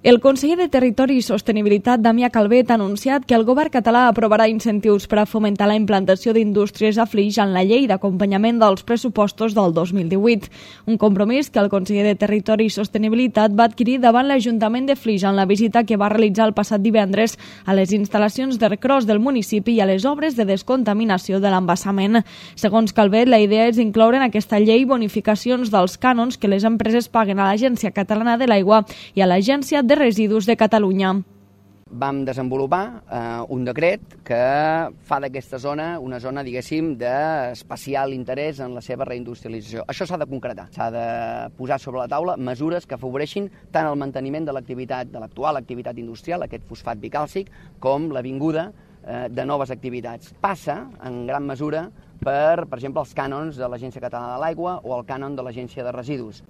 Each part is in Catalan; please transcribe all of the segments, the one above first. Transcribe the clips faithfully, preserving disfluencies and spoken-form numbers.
El conseller de Territori i Sostenibilitat, Damià Calvet, ha anunciat que el govern català aprovarà incentius per a fomentar la implantació d'indústries a Flix en la llei d'acompanyament dels pressupostos del dos mil divuit. Un compromís que el conseller de Territori i Sostenibilitat va adquirir davant l'Ajuntament de Flix en la visita que va realitzar el passat divendres a les instal·lacions d'Ercros del municipi i a les obres de descontaminació de l'embassament. Segons Calvet, la idea és incloure en aquesta llei bonificacions dels cànons que les empreses paguen a l'Agència Catalana de l'Aigua i a l'Agència de Residus de Catalunya. Vam desenvolupar eh, un decret que fa d'aquesta zona una zona, diguéssim, d'especial interès en la seva reindustrialització. Això s'ha de concretar, s'ha de posar sobre la taula mesures que afavoreixin tant el manteniment de l'activitat, de l'actual activitat industrial, aquest fosfat bicàlcic, com la vinguda eh, de noves activitats. Passa, en gran mesura, per, per exemple, els cànons de l'Agència Catalana de l'Aigua o el cànon de l'Agència de Residus.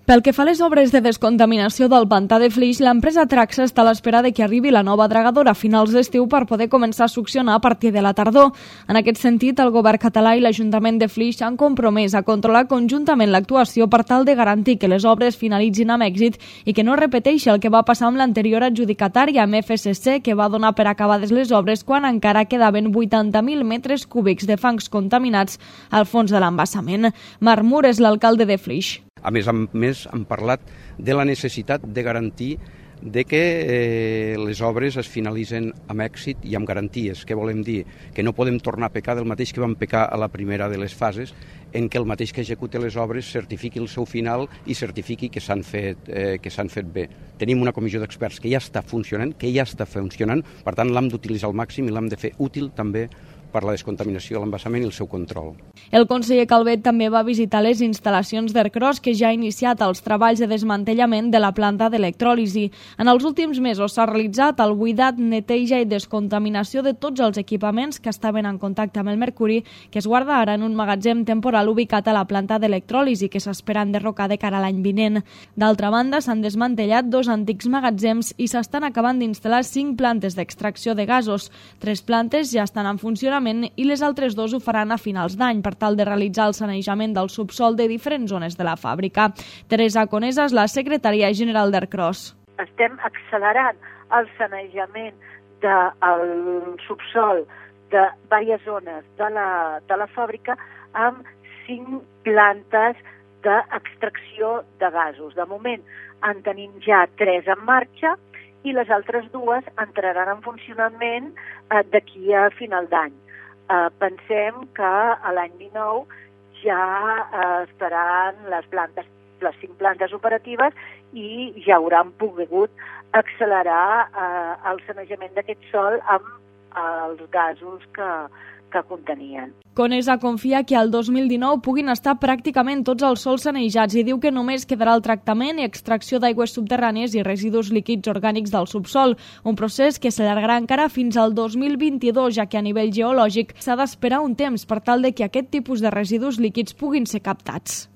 Pel que fa a les obres de descontaminació del pantà de Flix, l'empresa Traxa està a l'espera de que arribi la nova dragadora a finals d'estiu per poder començar a succionar a partir de la tardor. En aquest sentit, el govern català i l'Ajuntament de Flix han compromès a controlar conjuntament l'actuació per tal de garantir que les obres finalitzin amb èxit i que no repeteixi el que va passar amb l'anterior adjudicatària, amb F S C, que va donar per acabades les obres quan encara quedaven vuitanta mil metres cúbics de fangs contaminats al fons de l'embassament. Marc Mur és l'alcalde de Flix. A més a més, han parlat de la necessitat de garantir de que eh, les obres es finalitzen amb èxit i amb garanties. Què volem dir? Que no podem tornar a pecar del mateix que vam pecar a la primera de les fases, en què el mateix que executa les obres certifiqui el seu final i certifiqui que s'han fet, eh, que s'han fet bé. Tenim una comissió d'experts que ja està funcionant, que ja està funcionant, per tant l'hem d'utilitzar al màxim i l'hem de fer útil també per la descontaminació de l'embassament i el seu control. El conseller Calvet també va visitar les instal·lacions d'Ercros, que ja ha iniciat els treballs de desmantellament de la planta d'electròlisi. En els últims mesos s'ha realitzat el buidat, neteja i descontaminació de tots els equipaments que estaven en contacte amb el mercuri, que es guarda ara en un magatzem temporal ubicat a la planta d'electròlisi, que s'espera enderrocar de cara a l'any vinent. D'altra banda, s'han desmantellat dos antics magatzems i s'estan acabant d'instal·lar cinc plantes d'extracció de gasos. Tres plantes ja estan en funcionament i les altres dos ho faran a finals d'any per tal de realitzar el sanejament del subsol de diferents zones de la fàbrica. Teresa Conesa és la secretària general d'Ercros. Estem accelerant el sanejament del subsol de diverses zones de la, de la fàbrica amb cinc plantes d'extracció de gasos. De moment en tenim ja tres en marxa i les altres dues entraran en funcionament eh, d'aquí a final d'any. Eh, pensem que a l'any dinou ja eh, estaran les plantes, les cinc plantes operatives i ja hauran pogut accelerar eh, el sanejament d'aquest sòl amb eh, els gasos que, que contenien. Conesa confia que al dos mil dinou puguin estar pràcticament tots els sòls sanejats i diu que només quedarà el tractament i extracció d'aigües subterrànies i residus líquids orgànics del subsol, un procés que s'allargarà encara fins al dos mil vint-i-dos, ja que a nivell geològic s'ha d'esperar un temps per tal de que aquest tipus de residus líquids puguin ser captats.